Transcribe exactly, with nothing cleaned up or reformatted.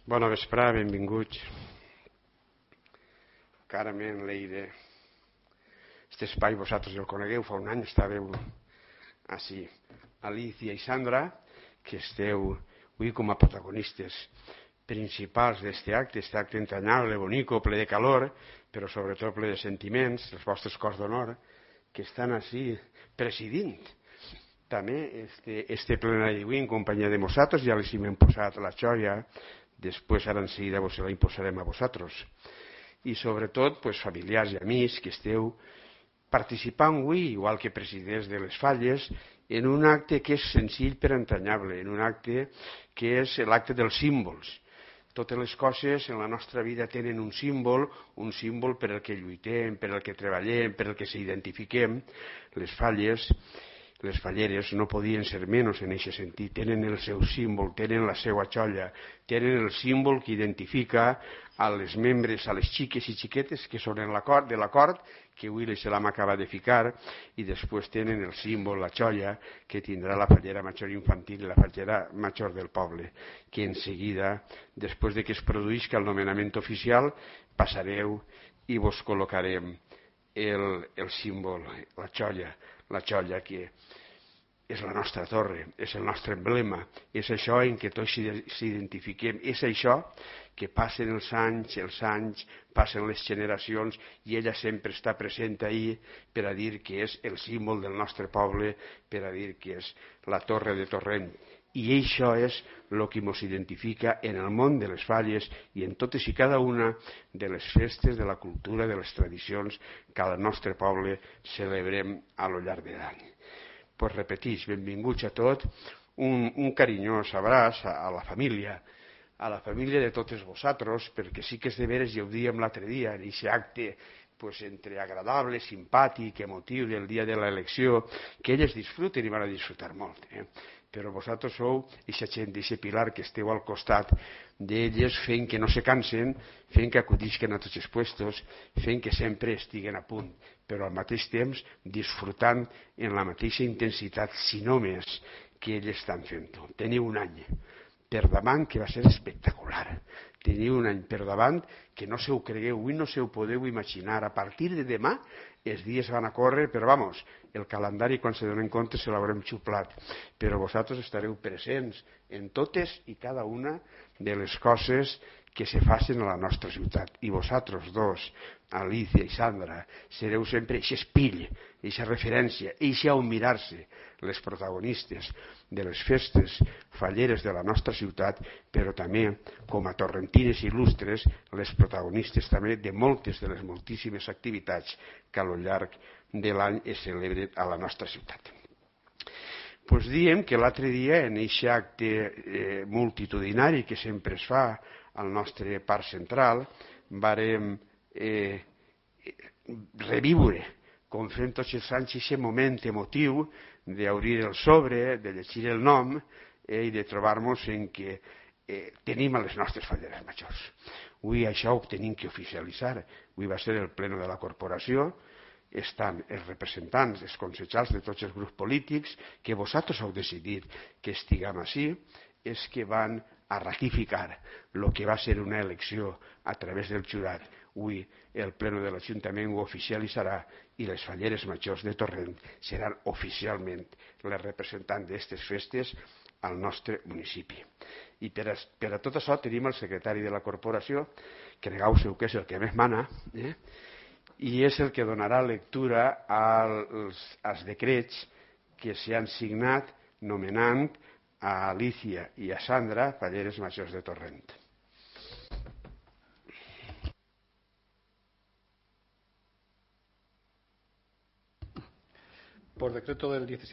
Bona vesprada, benvinguts. Carmen, Leire, aquest espai vosaltres el conegueu, fa un any estàveu així. Alicia i Sandra, que esteu avui com a protagonistes principals d'aquest acte, aquest acte entranyable, bonico, ple de calor, però sobretot ple de sentiments, els vostres cors d'honor, que estan així presidint també este, este plenari d'avui en companyia de nosaltres. Ja els hem posat la xoia, després ara en seguida vos la imposarem a vosaltres. I sobretot pues, familiars i amics que esteu participant avui, igual que presidents de les Falles, en un acte que és senzill però entranyable, en un acte que és l'acte dels símbols. Totes les coses en la nostra vida tenen un símbol, un símbol per al que lluitem, per al que treballem, per al que s'identifiquem. Les Falles, les falleres no podien ser menys en aquest sentit, tenen el seu símbol, tenen la seva xolla, tenen el símbol que identifica a les membres, a les xiques i xiquetes que són en l'acord, de l'acord, que avui l'Islam acaba de ficar, i després tenen el símbol, la xolla, que tindrà la fallera major infantil i la fallera major del poble, que en seguida, després de que es produïsca el nomenament oficial, passareu i vos col·locarem el, el símbol, la xolla, la xolla que és la nostra torre, és el nostre emblema, és això en què tots s'identifiquem, és això que passen els anys, els anys, passen les generacions i ella sempre està present ahí per a dir que és el símbol del nostre poble, per a dir que és la torre de Torrent. I això és el que ens identifica en el món de les Falles i en totes i cada una de les festes, de la cultura, de les tradicions que al nostre poble celebrem a lo llarg de l'any. Pues repetís, benvinguts a tot, un, un carinyós abraç a, a la família, a la família de totes vosaltres, perquè sí que és de veres, ja ho dèiem l'altre dia, en aquest acte pues, entre agradable, simpàtic, emotiu del dia de l'elecció, que elles disfruten i van a disfrutar molt. Eh? Però vosaltres sou aquesta gent, d'aquest pilar que esteu al costat d'elles fent que no se cansen, fent que acudisquen a tots els puestos, fent que sempre estiguen a punt, però al mateix temps disfrutant en la mateixa intensitat, si no més, que elles estan fent-ho. Teniu un any per davant que va ser espectacular. Teniu un any per davant que no se ho cregueu, avui no se ho podeu imaginar. A partir de demà els dies van a córrer, però vamos, el calendari quan se donen compte se l'haurem xuplat. Però vosaltres estareu presents en totes i cada una de les coses que se facin a la nostra ciutat. I vosaltres dos, Alicia i Sandra, sereu sempre aquest espill, aquesta referència, eixa on mirar-se, les protagonistes de les festes falleres de la nostra ciutat, però també, com a torrentines il·lustres, les protagonistes també de moltes de les moltíssimes activitats que a lo llarg de l'any es celebren a la nostra ciutat. Pues diem que l'altre dia, en aquest acte eh, multitudinari que sempre es fa al nostre parc central, vàrem eh, reviure, com fem tots els anys, aquest moment emotiu d'obrir el sobre, de llegir el nom eh, i de trobar-nos en que eh, tenim a les nostres falleres majors. Avui això ho tenim que oficialitzar. Avui va ser el pleno de la corporació, estan els representants, els consellers de tots els grups polítics, que vosaltres heu decidit que estiguem així, és que van a ratificar el que va ser una elecció a través del jurat. Avui el pleno de l'Ajuntament ho oficialitzarà i les falleres majors de Torrent seran oficialment les representants d'aquestes festes al nostre municipi. I per a, per a tot això tenim el secretari de la corporació, que negau-seu que és el que més mana, eh? i és el que donarà lectura als, als decrets que s'han signat nomenant a Alicia i a Sandra falleres majors de Torrent. Por decreto del diecisiete